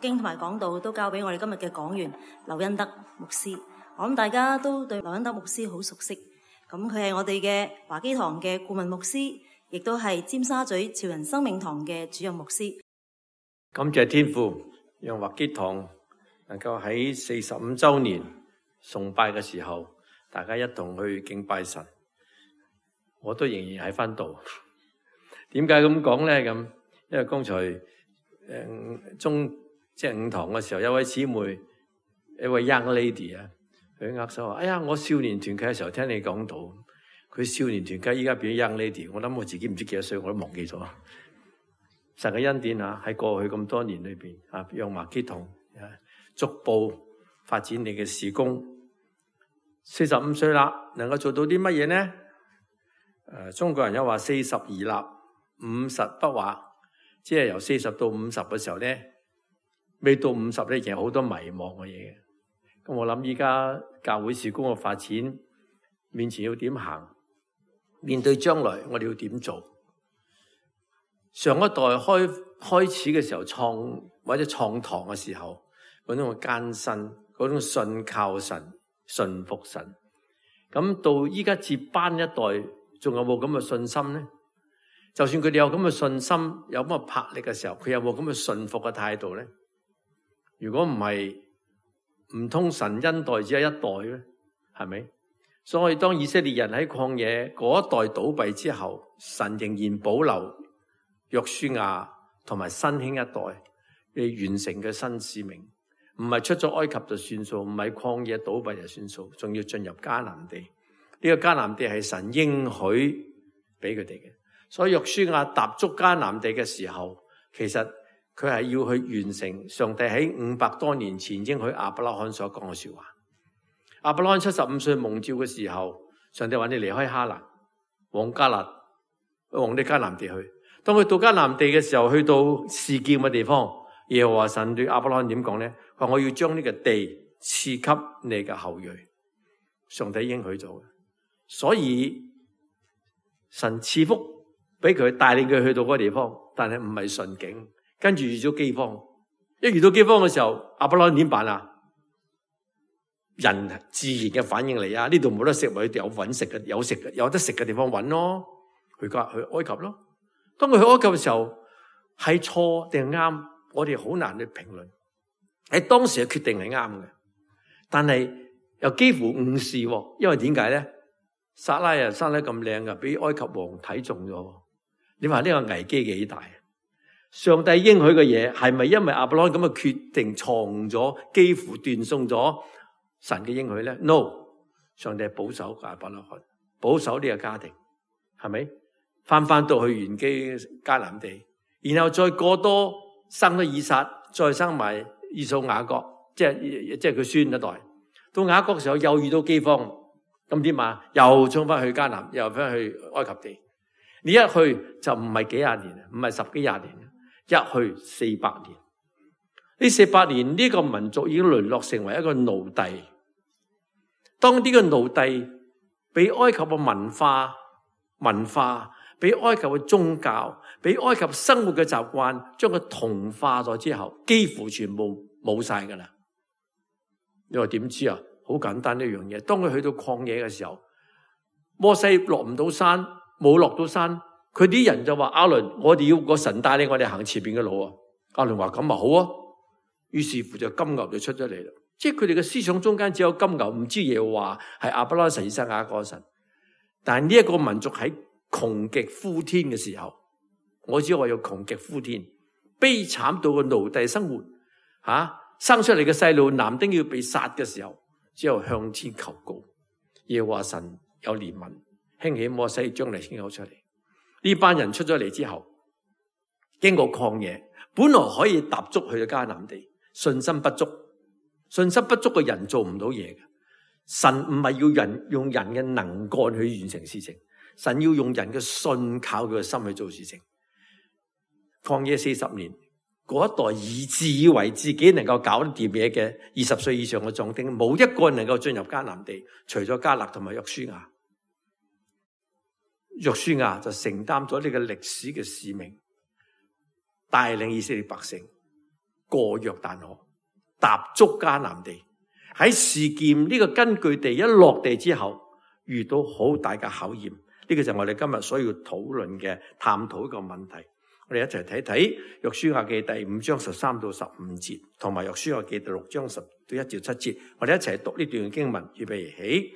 經同埋講道都交俾我哋今日嘅講員劉恩德牧師。我諗大家都對劉恩德牧師好熟悉，咁佢係我哋嘅華基堂嘅顧問牧師，亦都係尖沙咀潮人生命堂嘅主任牧師。感謝天父，讓華基堂能夠喺45週年崇拜嘅時候，大家一同去敬拜神。我都仍然喺翻度。點解咁講咧？咁因為剛才午堂嘅時候，有位姊妹，一位 young lady 啊，佢握手話：哎呀，我少年團契嘅時候聽你講到，佢少年團契依家變咗 young lady。我諗我自己唔知幾多歲，我都忘記咗。神嘅恩典啊，喺過去咁多年裏邊啊，讓華基堂逐步發展你嘅事工。45歲啦，能夠做到啲乜嘢呢？中國人有話40而立，50不惑，即係由40到50嘅時候咧，未到50咧，其實好多迷茫嘅嘢。咁我諗依家教會事工嘅發展，面前要點行？面對將來我哋要點做？上一代開始嘅時候或者創堂嘅時候，嗰種艱辛，嗰種信靠神、信服神。咁到依家接班一代，仲有冇咁嘅信心呢？就算佢哋有咁嘅信心，有咁嘅魄力嘅時候，佢有冇咁嘅信服嘅態度呢？如果唔係，唔通神恩待只有一代咧？係咪？所以當以色列人喺曠野嗰一代倒閉之後，神仍然保留約書亞同埋新興一代嘅完成嘅新使命，唔係出咗埃及就算數，唔係曠野倒閉就算數，仲要進入迦南地。呢個迦南地係神應許俾佢哋嘅，所以約書亞踏足迦南地嘅時候，其實佢係要去完成上帝喺500多年前應許亞伯拉罕所講嘅說話。亞伯拉罕75歲蒙召嘅時候，上帝話你離開哈蘭，往你迦南地去。當佢到迦南地嘅時候，去到示劍嘅地方，耶和華神對亞伯拉罕點講咧？話我要將呢個地賜給你嘅後裔。上帝應許咗嘅。所以神賜福俾佢，帶領佢去到嗰個地方，但係唔係順境，跟住遇咗饑荒。一遇到饑荒嘅時候，亞伯拉罕點辦啊？人自然嘅反應嚟啊！呢度冇得食，咪有搵食嘅，有得食嘅地方搵咯。去埃及咯。當佢去埃及嘅時候，係錯定係啱？我哋好難去評論。喺當時嘅決定係啱嘅，但係又幾乎誤事，因為點解咧？撒拉啊，生得咁靚噶，俾埃及王睇中咗。你話呢個危機幾大？上帝應許嘅嘢係咪因為亞伯拉罕咁嘅決定錯誤咗，幾乎斷送咗神嘅應許咧 ？No， 上帝係保守亞伯拉罕，保守呢個家庭，係咪？翻到去原基迦南地，然後再過多生咗以撒，再生埋以掃雅各，即係佢孫一代。到雅各嘅時候又遇到饑荒，咁點啊？又衝翻去迦南，又翻去埃及地。你一去就唔係幾廿年，唔係10幾廿年，一去400年。呢400年呢個民族已經淪落成為一個奴隸。當呢個奴隸俾埃及嘅文化，俾埃及嘅宗教，俾埃及生活嘅習慣，將佢同化咗之後，幾乎全部冇晒噶啦。你話點知啊？好簡單一樣嘢。當佢去到曠野嘅時候，摩西落唔到山，冇落到山，佢啲人就話：亞倫，我哋要個神帶領我哋行前邊嘅路啊！亞倫話：咁啊好啊。於是乎就金牛就出咗嚟啦。即係佢哋嘅思想中間只有金牛，唔知耶和華係亞伯拉罕神、以撒、雅各神。但係呢一個民族喺窮極呼天嘅時候，我只話要窮極呼天，悲慘到個奴隸生活，生出嚟嘅細路男丁要被殺嘅時候，只有向天求告，耶和華神有憐憫，興起摩西將嚟牽口出嚟。呢班人出咗嚟之後，經過曠野，本來可以踏足去到迦南地，信心不足嘅人做唔到嘢嘅。神唔係要人用人嘅能幹去完成事情，神要用人嘅信靠佢嘅心去做事情。曠野40年，嗰一代自以為自己能夠搞得掂嘢嘅20歲以上嘅壯丁，冇一個人能夠進入迦南地，除咗迦勒同埋約書亞。約書亞就承擔咗呢個歷史嘅使命，帶領以色列百姓過約旦河，踏足迦南地。喺示劍呢個根據地一落地之後，遇到好大嘅考驗。呢個就係我哋今日所要討論嘅、探討一個問題。我哋一齊睇睇約書亞記第5章13到15節，同埋約書亞記第6章10到1至7節。我哋一齊讀呢段經文，預備起。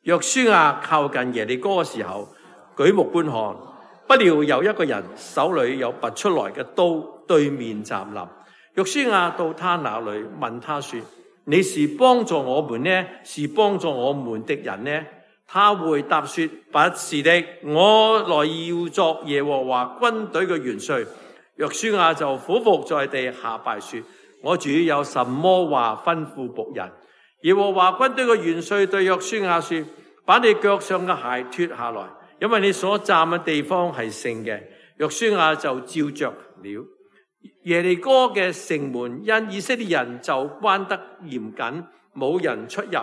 約書亞靠近耶利哥嘅時候，舉目觀看，不料有一個人手裏有拔出來嘅刀，對面站立。約書亞到他那裏，問他說：你是幫助我們呢，是幫助我們的人呢？他回答說：不是的，我來要作耶和華軍隊嘅元帥。約書亞就俯伏在地下拜說：我主有什麼話吩咐僕人？耶和華軍隊嘅元帥對約書亞說：把你腳上嘅鞋脫下來，因為你所站嘅地方係聖嘅。約書亞就照着了。耶利哥嘅城門因以色列人就關得嚴謹，冇人出入。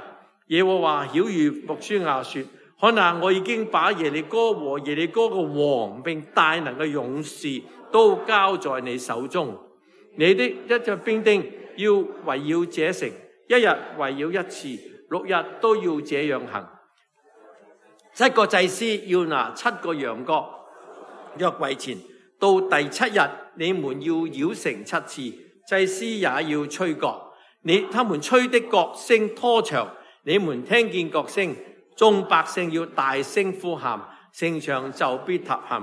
耶和華曉諭約書亞說：看啊，我已經把耶利哥和耶利哥嘅王並大能嘅勇士都交在你手中。你的一隻兵丁要圍繞這城，一日圍繞一次，6日都要這樣行。7個祭司要拿7個羊角約櫃前，到第7日，你們要繞城7次，祭司也要吹角。他們吹的角聲拖長，你們聽見角聲，眾百姓要大聲呼喊，城牆就必塌陷，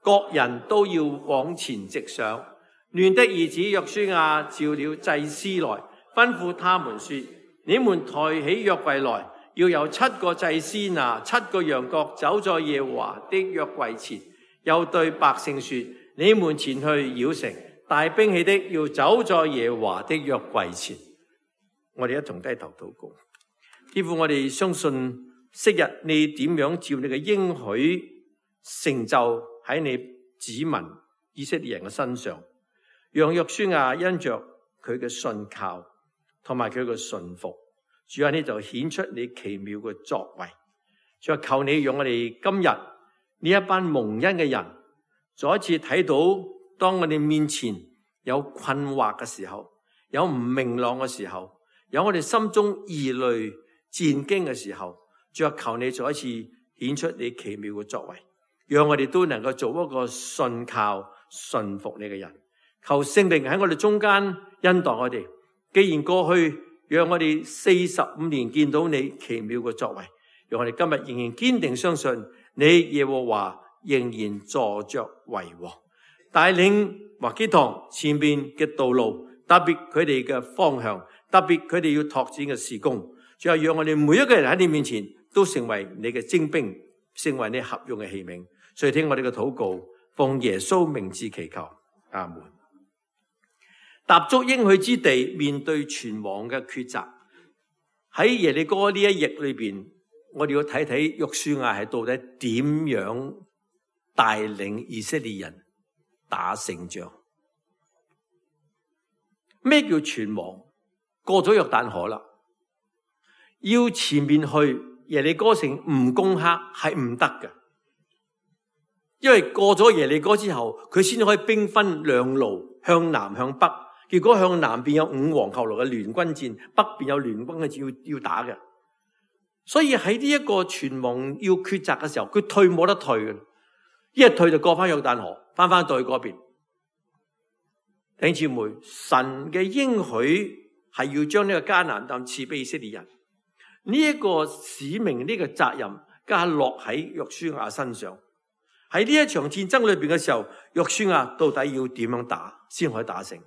各人都要往前直上。嫩的兒子約書亞召了祭司來，吩咐他們說：你們抬起約櫃來，要有7個祭司拿7個羊角走在耶和華的約櫃前。又對百姓說：你們前去繞城，帶兵器的要走在耶和華的約櫃前。我哋一同低頭禱告。天父，我哋相信昔日你點樣照你嘅應許成就喺你子民以色列人嘅身上，讓約書亞因着佢嘅信靠同埋佢嘅信服，主啊，你就顯出你奇妙嘅作為。主啊，求你讓我哋今日呢一班蒙恩嘅人再一次睇到，當我哋面前有困惑嘅時候，有唔明朗嘅時候，有我哋心中疑慮戰驚嘅時候，主啊，求你再一次顯出你奇妙嘅作為，讓我哋都能夠做一個信靠信服你嘅人。求聖靈喺我哋中間恩待我哋。既然過去讓我哋45年見到你奇妙嘅作為，讓我哋今日仍然堅定相信你耶和華仍然坐着為王，帶領華基堂前面嘅道路，特別佢哋嘅方向，特別佢哋要拓展嘅事工。最後讓我哋每一個人喺你面前都成為你嘅精兵，成為你合用嘅器皿。所以聽我哋嘅禱告，奉耶穌名字祈求，阿門。踏足應許之地，面對全王嘅抉擇，喺耶利哥呢一役裏邊，我哋要睇睇約書亞係到底點樣帶領以色列人打勝仗。咩叫全王？過咗約旦河啦，要前面去耶利哥城唔攻克係唔得嘅，因為過咗耶利哥之後，佢先可以兵分兩路，向南向北。結果向南邊有5王後來嘅聯軍戰，北邊有聯軍嘅戰要打嘅。所以喺呢一個全王要抉擇嘅時候，佢退冇得退嘅，一日退就過翻約旦河，翻到去嗰邊。弟兄姊妹，神嘅應許係要將呢個迦南地賜俾以色列人，呢一個使命，呢個責任加落喺約書亞身上。喺呢一場戰爭裏邊嘅時候，約書亞到底要點樣打先可以打勝？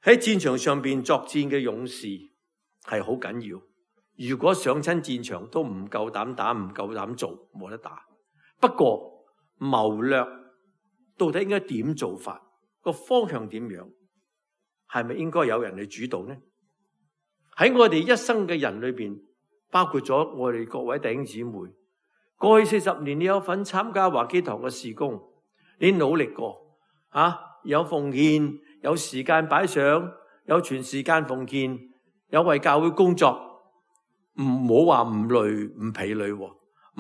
喺戰場上邊作戰嘅勇士係好緊要。如果上親戰場都唔夠膽打，唔夠膽做，冇得打。不過謀略到底應該點做法？個方向點樣？係咪應該有人去主導呢？喺我哋一生嘅人裏邊，包括咗我哋各位弟兄姊妹，過去40年你有份參加華基堂嘅事工，你努力過有奉獻，有時間擺上，有全時間奉獻，有為教會工作，唔好話唔累唔疲累，唔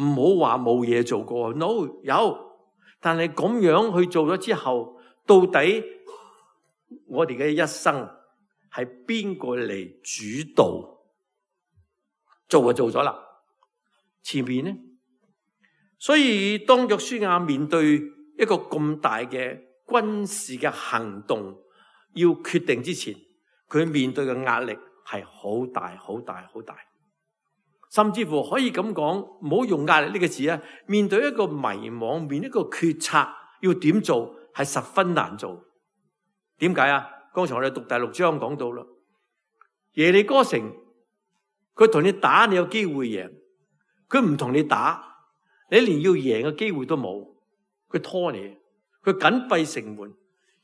好話冇嘢做過。No， 有，但係咁樣去做咗之後，到底我哋嘅一生係邊個嚟主導？做就做咗啦，前面呢？所以當約書亞面對一個咁大嘅軍事嘅行動要決定之前，佢面對嘅壓力係好大好大好大，甚至乎可以咁講，唔好用壓力呢個字啊，面對一個迷惘，面對一個決策要點做係十分難做。點解啊？剛才我哋讀第6章講到啦，耶利哥城佢同你打，你有機會贏，佢唔同你打，你連要贏嘅機會都冇，佢拖你，佢緊閉城門，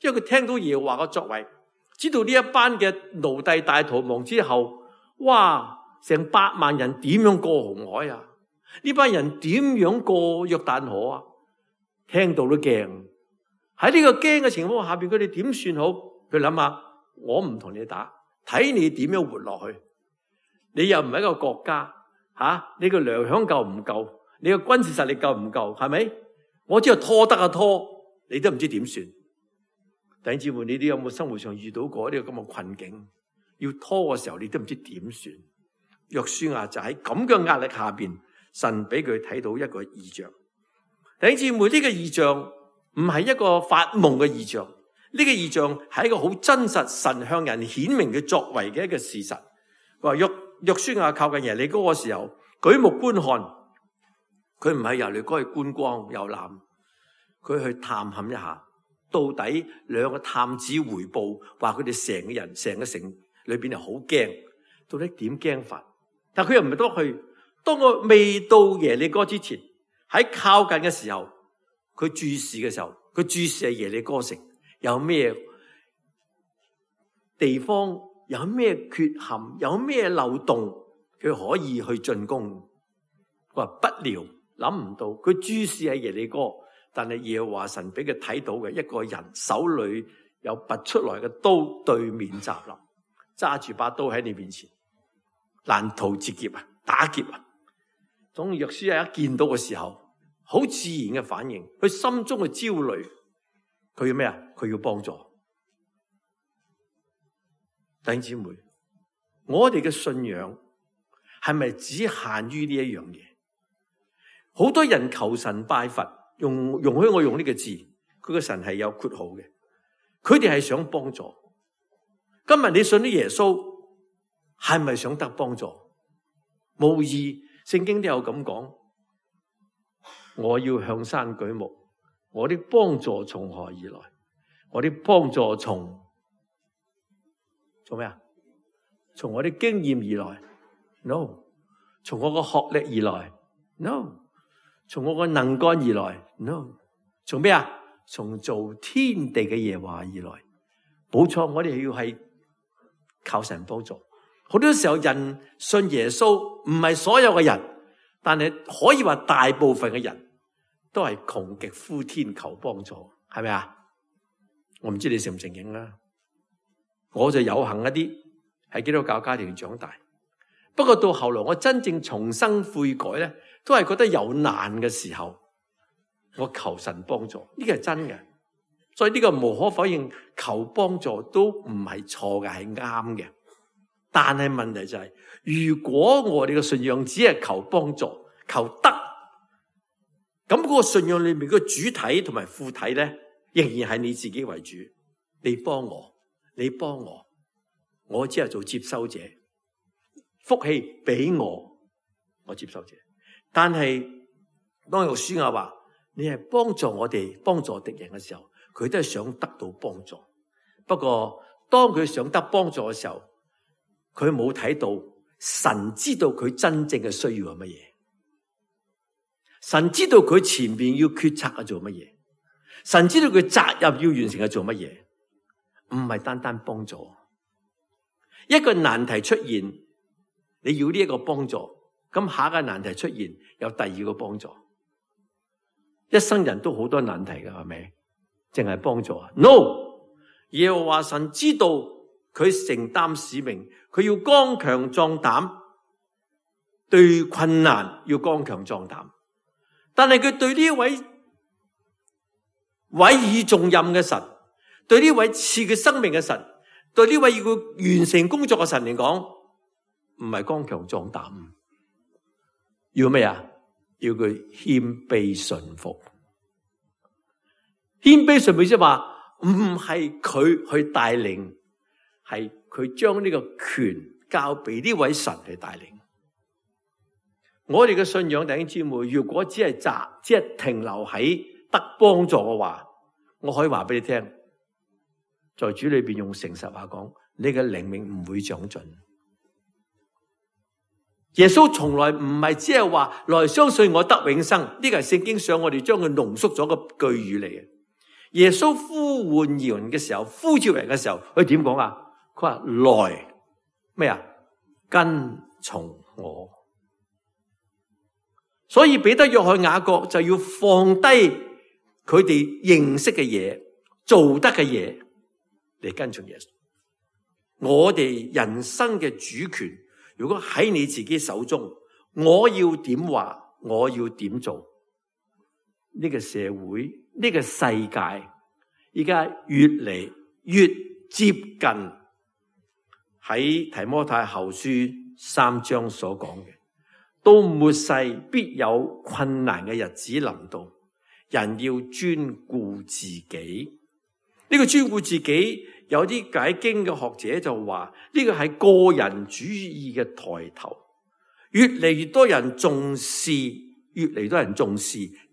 因為佢聽到耶和華嘅作為，知道呢一班嘅奴隸大逃亡之後，哇，成8萬人點樣過紅海啊？呢班人點樣過約旦河啊？聽到都驚。喺呢個驚嘅情況下邊，佢哋點算好？佢諗下，我唔同你打，睇你點樣活落去。你又唔係一個國家，你個糧餉夠唔夠？你個軍事實力夠唔夠？係咪？我只係拖得拖，你都唔知點算。弟兄姊妹，你哋有冇生活上遇到過呢個咁嘅困境？要拖嘅時候，你都唔知點算。約書亞就喺咁嘅壓力下邊，神俾佢睇到一個異象。弟兄姊妹，呢個異象唔係一個發夢嘅異象，呢個異象係一個好真實，神向人顯明嘅作為嘅一個事實。佢話約書亞靠近耶利哥嘅時候，舉目觀看，佢唔係耶利哥去觀光遊覽，佢去探勘一下，到底兩個探子回報話佢哋成個人成個城裏邊係好驚，到底點驚法？但佢又唔係多去。當我未到耶利哥之前，喺靠近嘅時候，佢注視嘅時候，佢注視係耶利哥城有咩地方，有咩缺陷，有咩漏洞，佢可以去進攻。佢話不料，諗唔到，佢注視喺耶利哥，但係耶和華神俾佢睇到嘅一個人手裏有拔出來嘅刀對面襲臨，揸住把刀喺你面前，難逃截劫啊，打劫啊！當約書亞一見到嘅時候，好自然嘅反應，佢心中嘅焦慮，佢要咩啊？佢要幫助。弟兄姊妹，我哋嘅信仰係咪只限於呢一樣嘢？好多人求神拜佛，容許我用呢個字，佢個神係有括號嘅，佢哋係想幫助。今日你信咗耶穌，係咪想得幫助？無疑，聖經都有咁講。我要向山舉目，我的幫助從何而來？我的幫助從咩啊？從我的經驗而來 ？No。從我個學歷而來 ？No。從我個能幹而來 ？No。從咩啊？從造天地嘅耶和華而來。冇錯，我哋要係靠神幫助。好多時候人信耶穌，唔係所有嘅人，但係可以話大部分嘅人都係窮極呼天求幫助，係咪啊？我唔知你承唔承認啦。我就有幸一啲喺基督教家庭長大，不過到後來我真正重生悔改咧，都係覺得有難嘅時候，我求神幫助，呢個係真嘅。所以呢個無可否認，求幫助都唔係錯嘅，係啱嘅。但係問題就係，如果我哋嘅信仰只係求幫助、求得，咁嗰個信仰裏面嘅主體同埋副體咧，仍然係你自己為主。你幫我，你幫我，我只係做接收者，福氣俾我，我接收者。但係當約書亞話你係幫助我哋、幫助敵人嘅時候，佢都係想得到幫助。不過當佢想得幫助嘅時候，佢冇睇到神知道佢真正嘅需要係乜嘢，神知道佢前面要決策係做乜嘢，神知道佢責任要完成係做乜嘢，唔係單單幫助。一個難題出現，你要呢一個幫助，咁下一個難題出現，有第二個幫助。一生人都好多難題㗎，係咪？淨係幫助啊 ？No， 耶和華神知道佢承擔使命，佢要剛強壯膽，對困難要剛強壯膽。但係佢對呢一位委以重任嘅神，對呢位賜佢生命嘅神，對呢位要佢完成工作嘅神嚟講，唔係剛強壯膽，要咩啊？要佢謙卑順服。謙卑順服即係話，唔係佢去帶領，係佢將呢個權交俾呢位神去帶領。我哋嘅信仰弟兄姊妹，如果只係停留喺得幫助嘅話，我可以話俾你聽，在主裏邊用誠實話講，你嘅靈命唔會長進。耶穌從來唔係只係話來相信我得永生，呢個係聖經上我哋將佢濃縮咗個句語嚟嘅。耶穌呼喚人嘅時候，呼召人嘅時候，佢點講啊？佢話來咩啊？跟從我。所以彼得、約翰、雅各就要放低佢哋認識嘅嘢、做得嘅嘢嚟跟從耶穌。我哋人生嘅主權，如果喺你自己手中，我要點話，我要點做。呢個社會，呢個世界，而家越嚟越接近喺提摩太後書3章所講嘅。到末世必有困難嘅日子臨到，人要專顧自己。呢個專顧自己，有啲解經嘅學者就話呢個係個人主義嘅抬頭，越嚟越多人重視，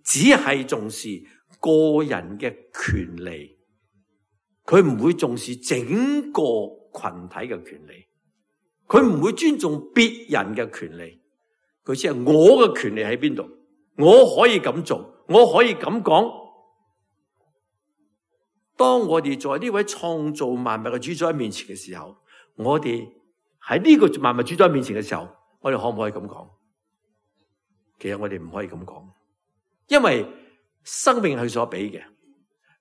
只係重視個人嘅權利，佢唔會重視整個群體嘅權利，佢唔會尊重別人嘅權利。佢只係我嘅權利喺邊度，我可以咁做，我可以咁講。當我哋在呢位創造萬物嘅主宰面前嘅時候，我哋喺呢個萬物主宰面前嘅時候，我哋可唔可以咁講？其實我哋唔可以咁講，因為生命係佢所俾嘅，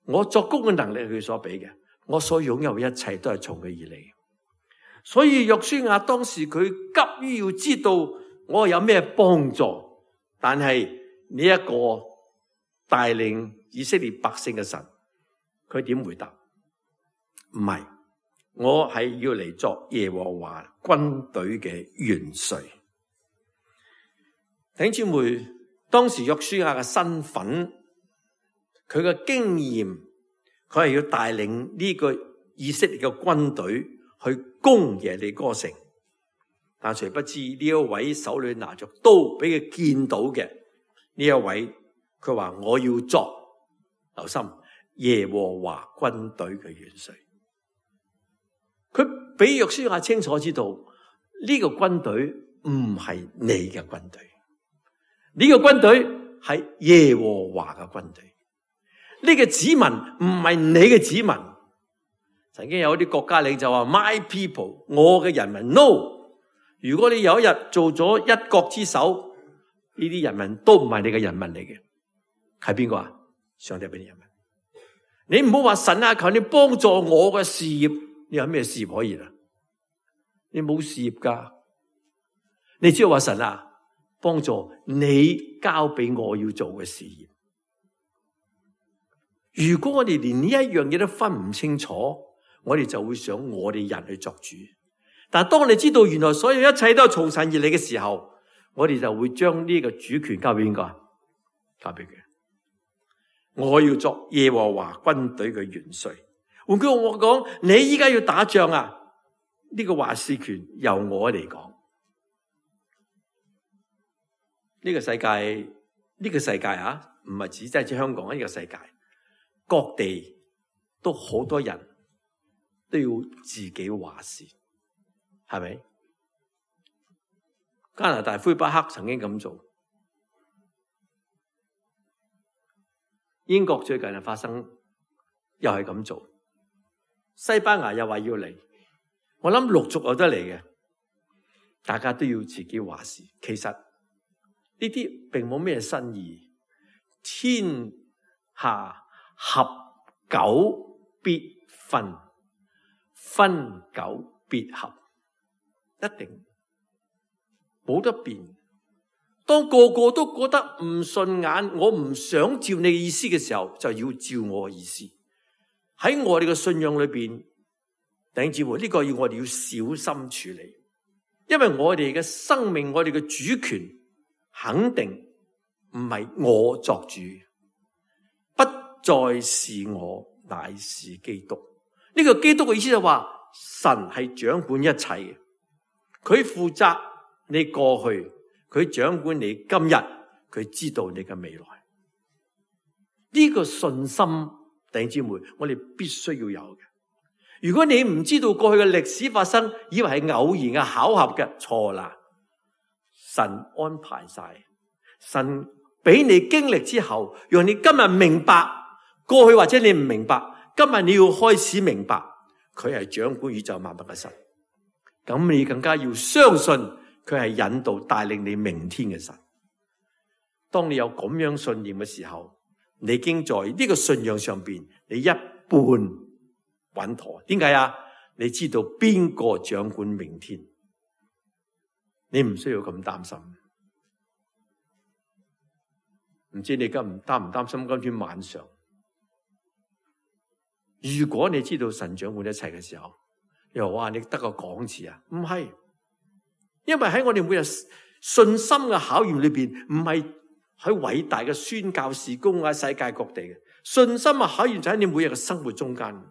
我作工嘅能力係佢所俾嘅，我所擁有嘅一切都係從佢而嚟。所以約書亞當時佢急於要知道我有咩幫助，但係呢一個帶領以色列百姓嘅神，佢點回答？唔係，我係要嚟作耶和華軍隊嘅元帥。弟兄姊妹，當時約書亞嘅身份，佢嘅經驗，佢係要帶領呢個以色列嘅軍隊去攻耶利哥城。但誰不知呢一位手裏拿着刀俾佢見到嘅呢一位，佢話我要作，留心，耶和華軍隊嘅元帥。佢俾約書亞清楚知道呢個軍隊唔係你嘅軍隊，呢個軍隊係耶和華嘅軍隊。呢個子民唔係你嘅子民。曾經有啲國家領袖話 My people， 我嘅人民 No。如果你有一日做咗一國之首，呢啲人民都唔係你嘅人民嚟嘅，係邊個啊？上帝俾你人民。你唔好話神啊，求你幫助我嘅事業，你有咩事業可以啊？你冇事業噶，你只係話神啊，幫助你交俾我要做嘅事業。如果我哋連呢一樣嘢都分唔清楚，我哋就會想我哋人去作主。但係當你知道原來所有一切都係從神而嚟嘅時候，我哋就會將呢個主權交俾邊個？交俾佢。我要作耶和華軍隊嘅元帥。換句話講，你依家要打仗啊，呢個話事權由我嚟講。呢個世界啊，唔係只係指香港，呢個世界各地都好多人都要自己話事。係咪？加拿大魁北克曾經咁做，英國最近係發生又係咁做，西班牙又話要嚟，我諗陸續有得嚟嘅，大家都要自己話事。其實呢啲並冇咩新意，天下合久必分，分久必合。一定冇得變。當個個都覺得唔順眼，我唔想照你嘅意思嘅時候，就要照我嘅意思。喺我哋嘅信仰裏邊，弟兄姊妹，呢個我哋要小心處理，因為我哋嘅生命，我哋嘅主權肯定唔係我作主，不再是我，乃是基督。呢個基督嘅意思就話，神係掌管一切嘅，佢負責你過去，佢掌管你今日，佢知道你嘅未來。呢個信心，弟兄姊妹，我哋必須要有嘅。如果你唔知道過去嘅歷史發生，以為係偶然嘅巧合嘅，錯啦。神安排晒，神俾你經歷之後，讓你今日明白過去或者你唔明白，今日你要開始明白，佢係掌管宇宙萬物嘅神。咁你更加要相信佢係引導帶領你明天嘅神。當你有咁樣信念嘅時候，你已經在呢個信仰上邊，你一半穩妥。點解啊？你知道邊個掌管明天，你唔需要咁擔心。唔知你擔唔擔心今天晚上？如果你知道神掌管一切嘅時候，又話你得個講字啊？唔係，因為喺我哋每日信心嘅考驗裏邊，唔係喺偉大嘅宣教事工啊，世界各地嘅信心嘅考驗就喺你每日嘅生活中間。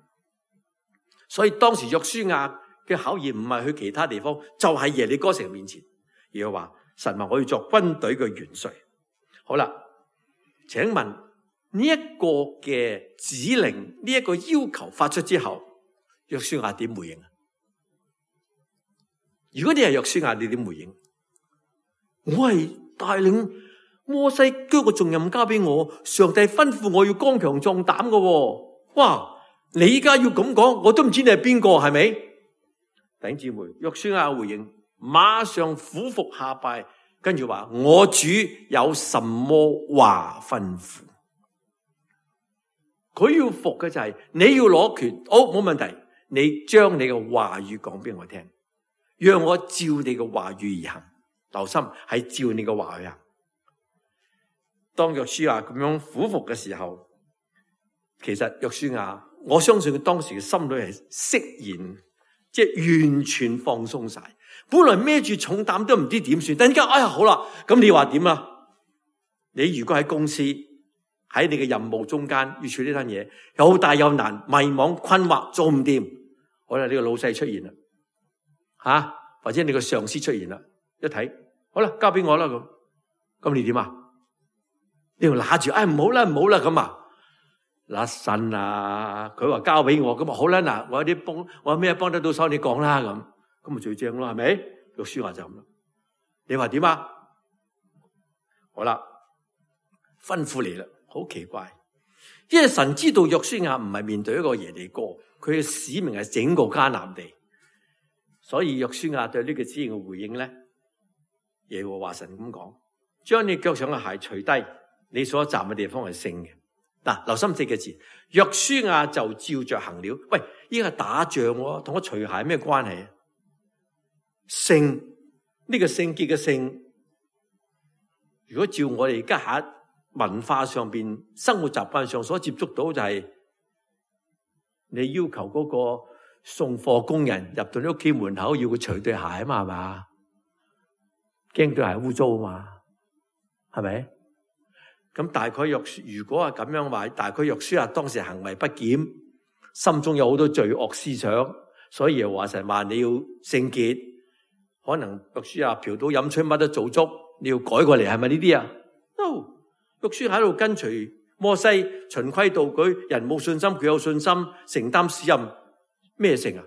所以當時約書亞嘅考驗唔係去其他地方，就係耶利哥城面前，而係話神話我要作軍隊嘅元帥。好啦，請問呢一個嘅指令，呢一個要求發出之後，約書亞點回應啊？如果你係約書亞，你點回應？我係帶領摩西將個重任交俾我，上帝吩咐我要剛強壯膽嘅。哇！你依家要咁講，我都唔知你係邊個，係咪？弟兄姊妹，約書亞回應，馬上俯伏下拜，跟住話：我主有什麼話吩咐？佢要服嘅就係你要攞權，好，冇問題，你將你嘅話語講俾我聽，讓我照你嘅話語而行。留心係照你嘅話去行。當約書亞咁樣俯伏嘅時候，其實約書亞，我相信佢當時嘅心裏係釋然，即係完全放鬆晒。本來孭住重擔都唔知點算，突然間哎呀好啦，咁你話點啊？你如果喺公司喺你嘅任務中間要處理呢單嘢，又大又難，迷茫困惑，做唔掂，好啦，呢個老細出現啦，或者你個上司出現啦，一睇好啦，交俾我啦咁你點啊？你要揦住，唔好啦咁啊！嗱神啊，佢話交俾我，咁啊好啦，嗱我有咩幫得到手，你講啦咁咪最正咯，係咪？約書亞就咁啦。你話點啊？好啦，吩咐你啦，好奇怪，因為神知道約書亞唔係面對一個耶利哥，佢嘅使命係整個迦南地，所以約書亞對呢個指令嘅回應咧，耶和華神咁講：將你腳上嘅鞋除低，你所站嘅地方係聖嘅。嗱，留心4個字，約書亞就照着行了。喂，依家打仗喎，同我除鞋咩關係啊？聖，呢個聖潔嘅聖，如果照我哋而家喺文化上邊、生活習慣上所接觸到，就係你要求嗰個送貨工人入到你屋企門口要佢除對鞋啊嘛，係嘛？驚對鞋污糟啊嘛，係咪？咁大概如果係咁樣話，大概約書亞當時行為不檢，心中有好多罪惡思想，所以又話神話你要聖潔，可能約書亞嫖賭飲吹乜都做足，你要改過嚟，係咪呢啲啊？約書亞喺度跟隨摩西循規蹈矩，人冇信心，佢有信心，承擔使任，咩成啊？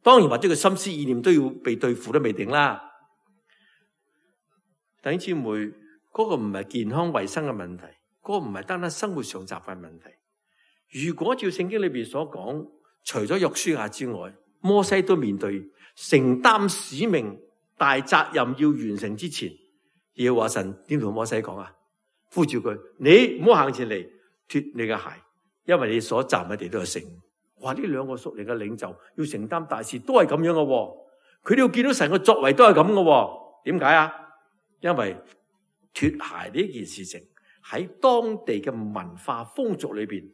當然或者佢心思意念都要被對付都未定啦。弟兄姊妹，嗰個唔係健康衛生嘅問題，嗰個唔係單單生活上習慣問題。如果照聖經裏邊所講，除咗約書亞之外，摩西都面對承擔使命大責任要完成之前，耶和華神點同摩西講啊？呼召佢，你唔好行前嚟脫你嘅鞋，因為你所站嘅地都係聖。哇！呢兩個屬靈嘅領袖要承擔大事都係咁樣嘅，佢哋要見到神嘅作為都係咁嘅。點解啊？因為脫鞋呢件事情喺當地嘅文化風俗裏邊，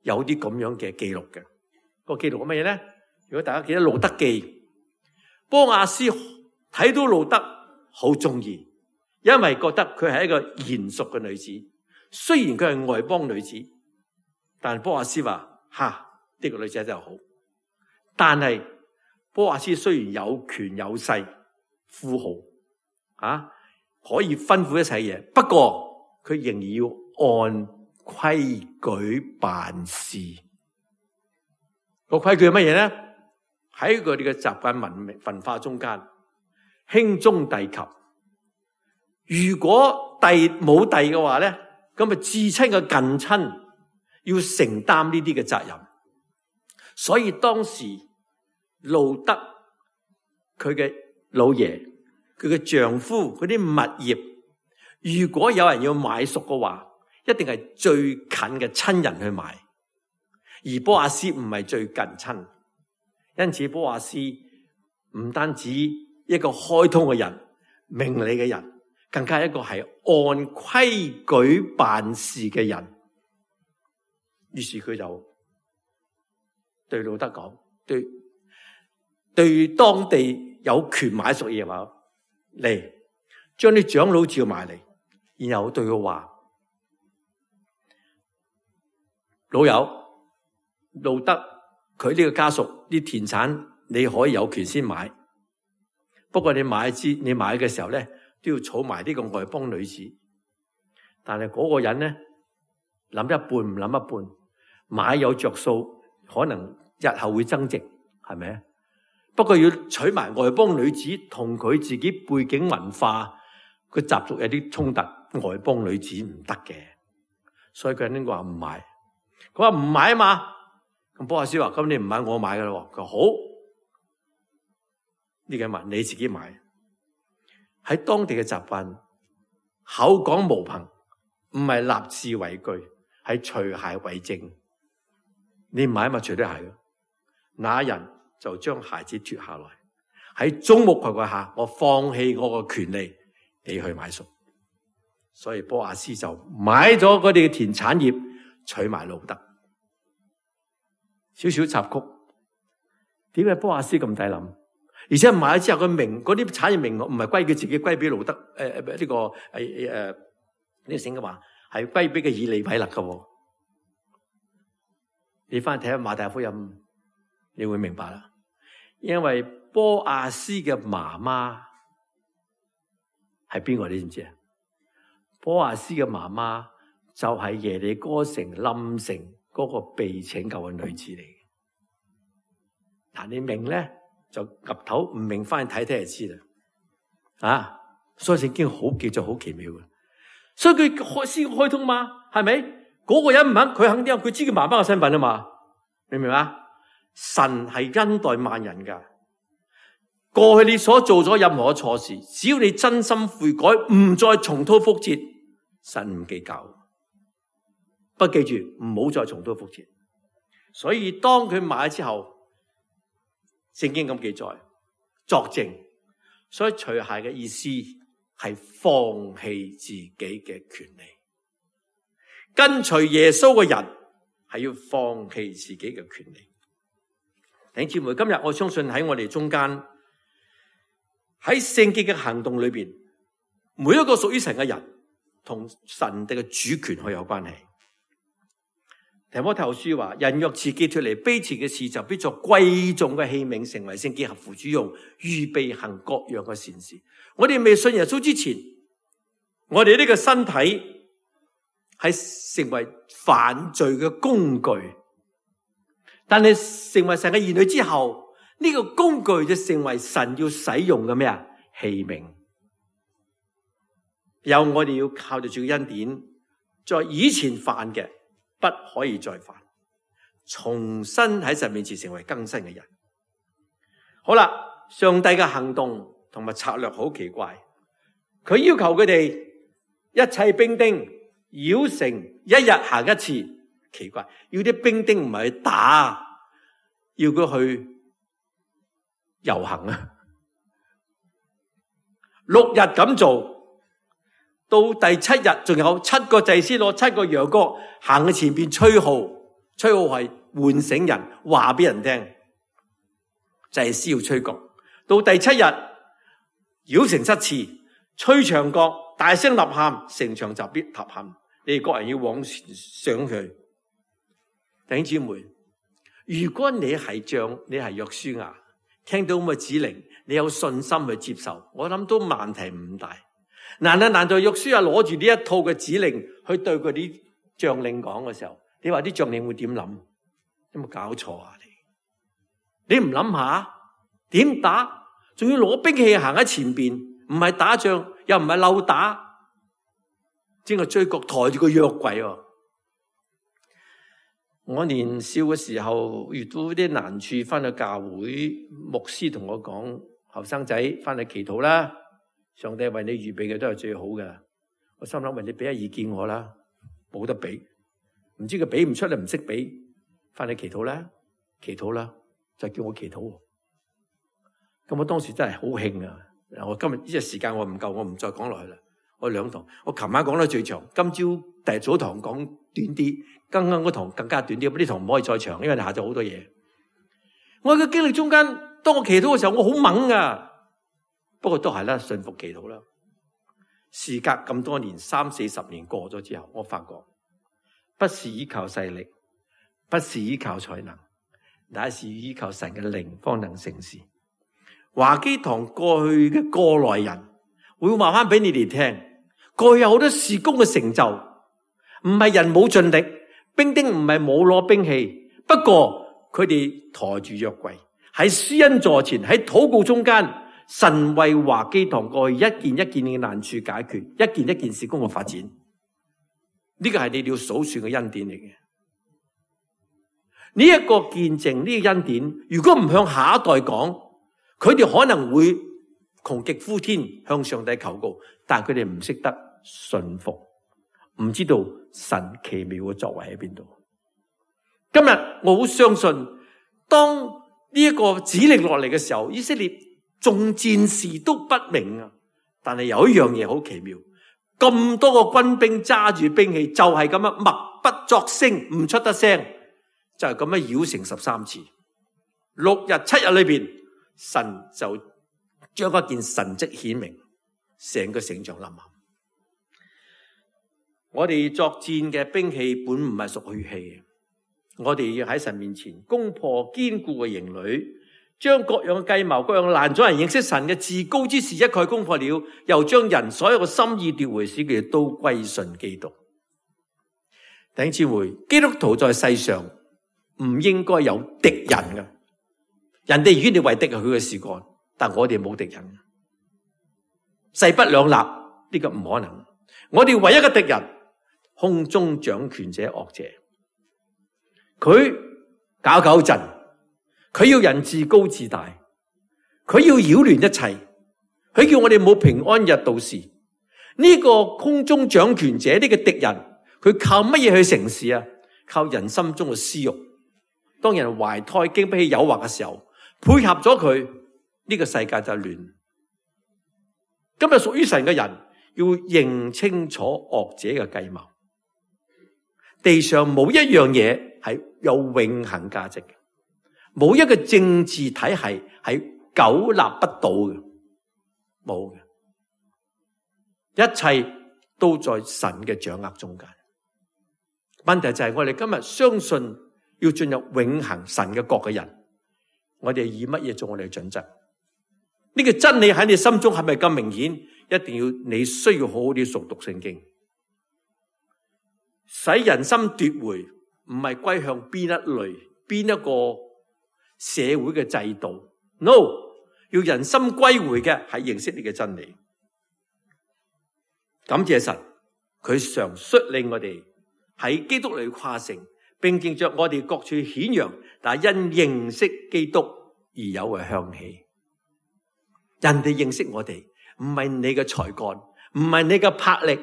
有啲咁樣嘅記錄嘅。個記錄係乜嘢咧？如果大家記得路得記，波亞斯睇到路得好中意，因為覺得佢係一個賢淑嘅女子。雖然佢係外邦女子，但波亞斯話：呢個女仔真係好。但係波亞斯雖然有權有勢，富豪可以吩咐一切嘢，不過佢仍然要按規矩辦事。個規矩係乜嘢咧？喺佢哋嘅習慣文化中間，兄終弟及。如果弟冇弟嘅話咧，咁啊至親嘅近親要承擔呢啲嘅責任。所以當時路得佢嘅老爺，佢嘅丈夫嗰啲物業，如果有人要買贖嘅話，一定係最近嘅親人去買。而波亞斯唔係最近親，因此波亞斯唔單止一個開通嘅人、明理嘅人，更加一個係按規矩辦事嘅人。於是佢就對路得講，對當地有權買贖嘅話，嚟將啲長老召埋嚟，然後對佢話：老友，路得佢呢個家屬啲田產你可以有權先買，不過你買嘅時候咧都要儲埋呢個外邦女子。但係嗰個人咧諗一半唔諗一半，買有着數，可能日後會增值，係咪？不過要娶埋外邦女子，同佢自己背景文化個習俗有啲衝突，外邦女子唔得嘅，所以佢呢個話唔買。佢話唔買啊嘛。咁波亞斯話：咁你唔買，我買噶啦。佢話好，呢個物你自己買。喺當地嘅習慣，口講無憑，唔係立字為據，係除鞋為證。你唔買咪除對鞋咯。那人就將鞋子脫下來，喺眾目睽睽下，我放棄我個權利，你去買贖。所以波亞斯就買咗佢哋嘅田產業，娶埋路得。少少插曲，點解波亞斯咁抵諗？而且買咗之後，佢名嗰啲產業名唔係歸佢自己，歸俾路得呢個聖經話係歸俾嘅以利米勒嘅。你翻去睇下馬太福音，你會明白啦。因為波亞斯嘅媽媽係邊個？你知唔知啊？波亞斯嘅媽媽就係耶利哥城冧城嗰個被拯救嘅女子嚟嘅。但你明咧就岌頭，唔明翻去睇睇就知啦。所以聖經好記載好奇妙嘅，所以佢先開通嘛，係咪？嗰個人唔肯，佢肯定佢知佢媽媽嘅身份啊嘛，明唔明啊？神係恩待萬人噶，過去你所做咗任何錯事，只要你真心悔改，唔再重蹈覆轍，神唔計較。不記住唔好再重蹈覆轍。所以當佢買之後，聖經咁記載作證，所以除鞋嘅意思係放棄自己嘅權利。跟隨耶穌嘅人係要放棄自己嘅權利。弟兄姊妹，今日我相信喺我哋中間，喺聖經嘅行動裏邊，每一個屬於神嘅人同神嘅主權係有關係。提摩太後書話：人若自己脫離卑賤嘅事，就必作貴重嘅器皿，成為聖潔合乎主用，預備行各樣嘅善事。我哋未信耶穌之前，我哋呢個身體係成為犯罪嘅工具，但係成為神嘅兒女之後，呢個工具就成為神要使用嘅咩啊？器皿。有我哋要靠住主嘅恩典，在以前犯嘅不可以再犯，重新喺神面前成為更新嘅人。好啦，上帝嘅行動同埋策略好奇怪，佢要求佢哋一切兵丁繞城一日行一次。奇怪，要啲兵丁唔係去打，要佢去遊行啊！6日咁做，到第7日仲有7個祭司攞7個羊角行喺前邊吹號，吹號係喚醒人，話俾人聽，就係需要吹角。到第7日，繞城7次，吹長角，大聲吶喊，城牆就必塌陷。你哋各人要往前上去。弟兄姊妹，如果你係約書亞，聽到咁嘅指令，你有信心去接受，我諗都問題唔大。難道約書亞攞住呢一套嘅指令去對佢啲將領講嘅時候，你話啲將領會點諗？有冇搞錯啊？你唔諗下點打？仲要攞兵器行喺前邊，唔係打仗，又唔係漏打，整個追角抬住個約櫃。我年少嘅時候遇到啲難處，翻去教會，牧師同我講：後生仔翻去祈禱啦，上帝為你預備嘅都係最好嘅。我心諗：為你俾下意見我啦，冇得俾，唔知佢俾唔出嚟，唔識俾，翻去祈禱啦，祈禱啦，就叫我祈禱。咁我當時真係好興啊！我今日呢個時間我唔夠，我唔再講落去啦。我2堂，我琴晚講得最長，今朝第早堂講短啲，剛剛嗰堂更加短啲，呢堂唔可以再長，因為你下晝好多嘢。我嘅經歷中間，當我祈禱嘅時候，我好猛噶，不過都係啦，順服祈禱啦。事隔咁多年，30-40年過咗之後，我發覺不是依靠勢力，不是依靠才能，乃是依靠神嘅靈方能成事。華基堂過去嘅過來人會話翻俾你哋聽，過去有好多事工嘅成就，唔係人冇盡力，兵丁唔係冇攞兵器，不過佢哋抬住約櫃喺施恩座前，喺禱告中間，神為華基堂過去一件一件嘅難處解決，一件一件事工嘅發展，呢個係你哋要數算嘅恩典嚟嘅。呢一個見證，呢個恩典，如果唔向下一代講，佢哋可能會窮極呼天向上帝求告，但係佢哋唔識得順服，唔知道神奇妙嘅作為喺邊度。今日我好相信，當呢一個指令落嚟嘅時候，以色列眾戰士都不明啊。但係有一樣嘢好奇妙，咁多個軍兵揸住兵器，就係咁樣默不作聲，唔出得聲，就係咁樣繞城13次，6日7日裏邊。神就將一件神蹟顯明，成個城牆冧陷。我哋作戰嘅兵器本唔係屬血氣嘅，我哋要喺神面前攻破堅固嘅營壘，將各樣嘅計謀、各樣攔阻人認識神嘅至高之事一概攻破了，又將人所有嘅心意奪回，使佢哋都歸順基督。弟兄姊妹，基督徒在世上唔應該有敵人嘅。人哋與你為敵係佢嘅事幹，但我哋冇敵人，勢不兩立，呢個唔可能。我哋唯一嘅敵人，空中掌權者惡者，佢搞震，佢要人自高自大，佢要擾亂一切，佢叫我哋冇平安日到時。呢個空中掌權者呢個敵人，佢靠乜嘢去成事啊？靠人心中嘅私欲。當人懷胎經不起誘惑嘅時候，配合咗佢，呢個世界就亂。今日屬於神嘅人要認清楚惡者嘅計謀。地上冇一樣嘢係有永恆價值嘅，冇一個政治體系係久立不倒嘅，冇嘅，一切都在神嘅掌握中間。問題就係我哋今日相信要進入永恆神嘅國嘅人，我哋以乜嘢做我哋嘅準則？呢個真理喺你心中係咪咁明顯？一定要你需要好好啲熟讀聖經，使人心奪回，唔係歸向邊一類、邊一個社會嘅制度。No， 要人心歸回嘅係認識你嘅真理。感謝神，佢常率領我哋喺基督裏誇勝，並藉着我哋各處顯揚，但係因認識基督而有嘅香氣。人哋認識我哋，唔係你嘅才幹，唔係你嘅魄力，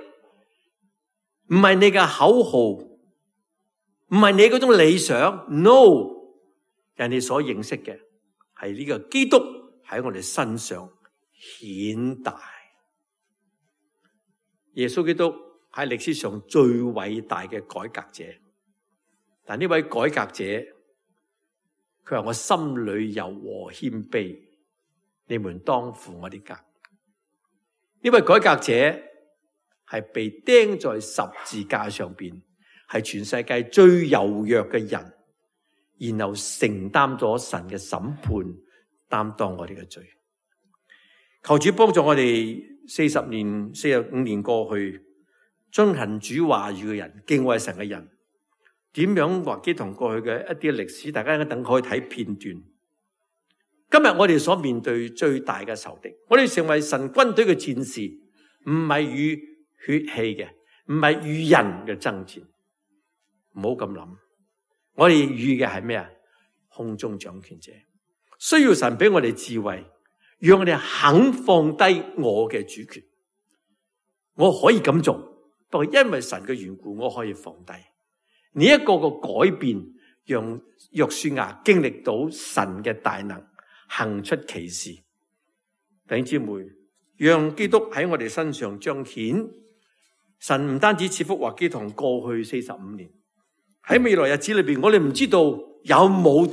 唔係你嘅口號，唔係你嗰種理想。No， 人哋所認識嘅係呢個基督喺我哋身上顯大。耶穌基督喺歷史上最偉大嘅改革者。但呢位改革者，佢話我心裏柔和謙卑，你們當負我啲軛。呢位改革者係被釘在十字架上邊，係全世界最柔弱嘅人，然後承擔咗神嘅審判，擔當我哋嘅罪。求主幫助我哋45年過去，遵行主話語嘅人，敬畏神嘅人，點樣華基堂過去嘅一啲歷史，大家一等可以睇片段。今日我哋所面對最大嘅仇敵，我哋成為神軍隊嘅戰士，唔係與血氣嘅，唔係與人嘅爭戰。唔好咁諗，我哋與嘅係咩啊？空中掌權者，需要神俾我哋智慧，讓我哋肯放低我嘅主權。我可以咁做，不過因為神嘅緣故，我可以放低。呢一個個改變，讓約書亞經歷到神嘅大能，行出奇事。弟兄姊妹，讓基督喺我哋身上彰顯。神唔單止賜福華基堂過去45年，喺未來日子裏邊，我哋唔知道有冇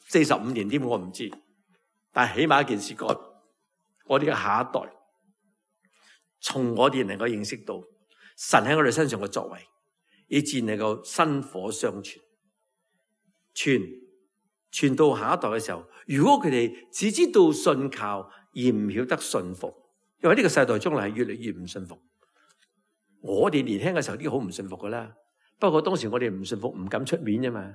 45年添，我唔知。但係起碼一件事，我哋嘅下一代，從我哋能夠認識到神喺我哋身上嘅作為，以致能夠薪火相傳，傳到下一代嘅時候，如果佢哋只知道信靠而唔曉得信服，因為呢個世代將來係越嚟越唔信服。我哋年輕嘅時候啲好唔信服噶啦，不過當時我哋唔信服，唔敢出面啫嘛。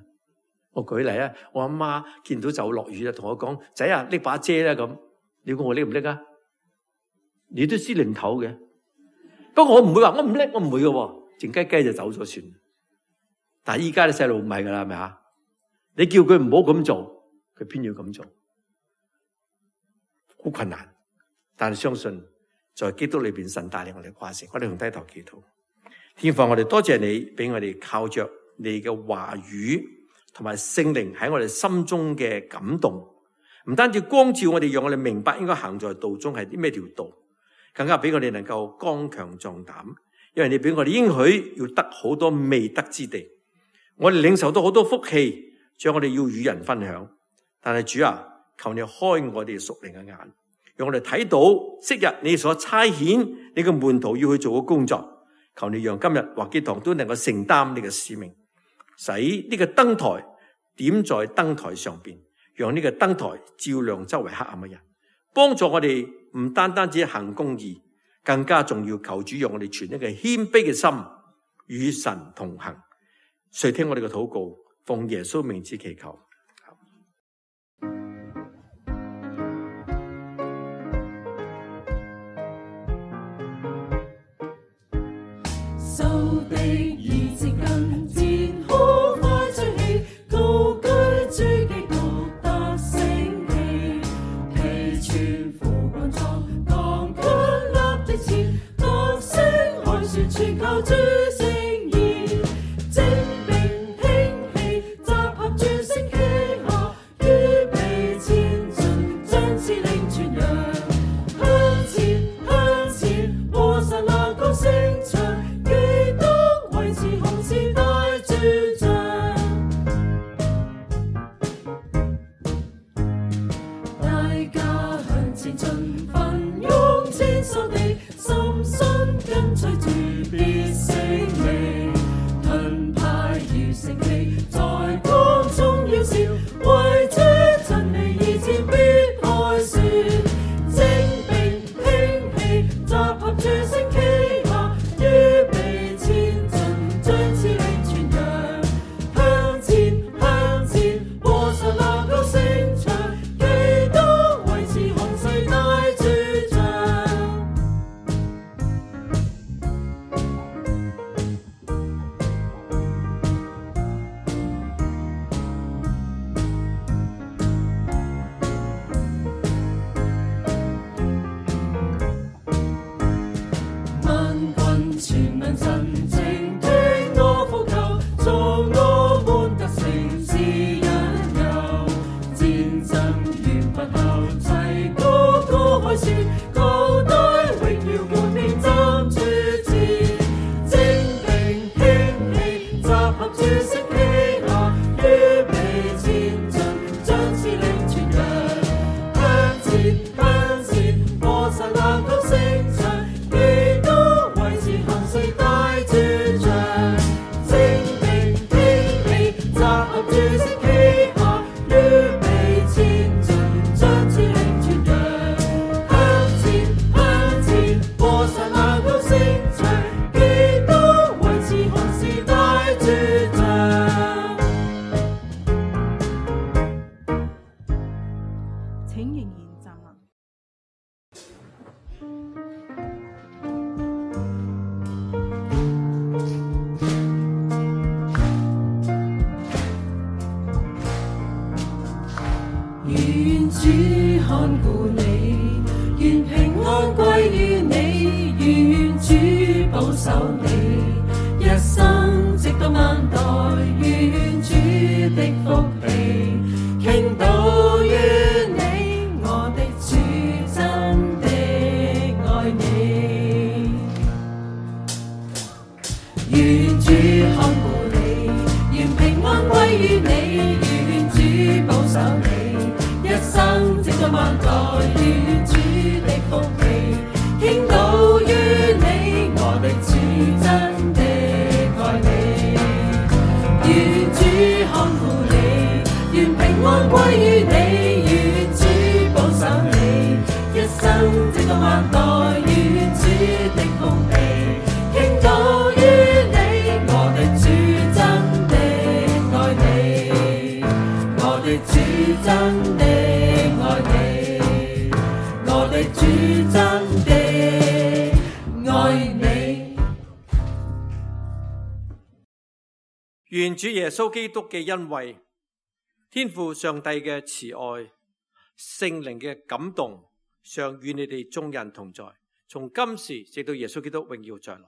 我舉例啊，我阿媽見到就落雨啦，同我講：仔啊，拎把遮啦咁。你估我拎唔拎啊？你都知零頭嘅。不過我唔會話我唔拎，我唔會嘅喎，靜雞雞就走咗算。但係依家啲細路唔係噶啦，係咪啊？你叫佢唔好咁做，佢偏要咁做，好困難。但係相信在基督裏邊，神帶領我哋跨城。我哋同低頭祈禱。天父，我哋多謝你俾我哋靠着你嘅話語同埋聖靈喺我哋心中嘅感動，唔單止光照我哋，讓我哋明白應該行在道中係啲咩條道，更加俾我哋能夠剛強壯膽，因為你俾我哋應許要得好多未得之地，我哋領受到好多福氣，將我哋要與人分享。但係主啊，求你開我哋屬靈嘅眼，讓我哋睇到昔日你所差遣你嘅門徒要去做嘅工作。求你讓今日華基堂都能夠承擔你嘅使命，使呢個燈台點在燈台上邊，讓呢個燈台照亮周圍黑暗嘅人，幫助我哋唔單單只行公義，更加重要求主讓我哋存一個謙卑嘅心，與神同行。垂聽我哋嘅禱告，奉耶穌名字祈求。受敵已接近，戰好快吹起，高舉主基督得勝旗，披穿副軍裝，剛強立的前，得勝海船全靠主聖言，精兵興起，集合諸星旗下，預備前進，將司令傳揚，向前向前，和神那高聲唱。請仍然站立。願主看顧你，願平安歸於你，願主保守你，一生直到萬代，願主的福氣傾倒於你，我的主真的愛你。願主看顧你，願平安歸於你，願主保守你，一生直到萬代，願主的福氣傾倒於你，我的主真的愛你。願主看顧你，願平安歸於你，願主保守你，一生直到萬代，願主的福氣傾倒於你，我的主真的愛你，我的主真的愛你，我的主真的愛你。願主耶穌基督嘅恩惠、天父上帝嘅慈愛、聖靈嘅感動，常與你哋眾人同在，從今時直到耶穌基督榮耀再來。